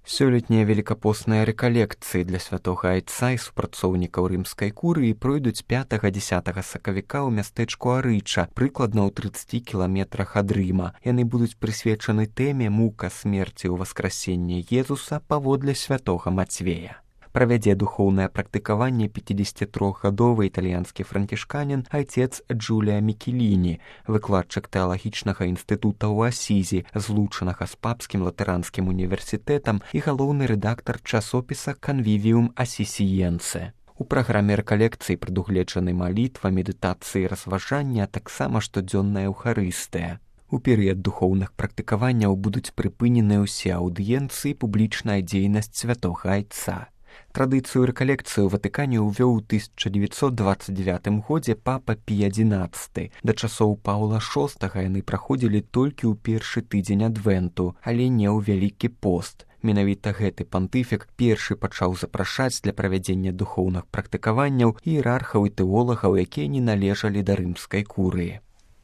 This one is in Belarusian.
Сёлетнія велікапосныя рэкалекцыі для святога айца і супрацоўнікаў рымскай курыі пройдуць 5-10 сакавіка ў мястэчку Арыча, прыкладна ў 30 кіламетрах ад Рыма. Яны будуць прысвечаны тэме мука смерці ў васкрасенне Езуса паводле святога Мацвея. Правядзе духоўнае практыкаванне 53-гадовы італьянскі францішканін айцец Джулія Мікеліні, выкладчык тэалагічнага інстытута ў Асізі, злучанага з папскім латаранскім універсітэтам і галоўны рэдактар часопіса «Канвівіум Асісіенце». У праграме рэкалекцыі прадугледжаны малітва, медытацыі, разважання, а таксама штодзённая эўхарыстыя. У перыяд духоўных практыкаванняў будуць прыпынены ўсе аўдыенцыі і публічная дзейнасць святога айца. Традыцыю рэкалекцыі ў Ватыкане ўвёў у 1929 годзе папа Пій XI. Да часоў Паўла VI яны праходзілі толькі ў першы тыдзень адвенту, але не ў Вялікі пост. Менавіта гэты пантыфік першы пачаў запрашаць для правядзення духоўных практыкаванняў іерархаў і тэолагаў, якія не належалі да рымскай курыі.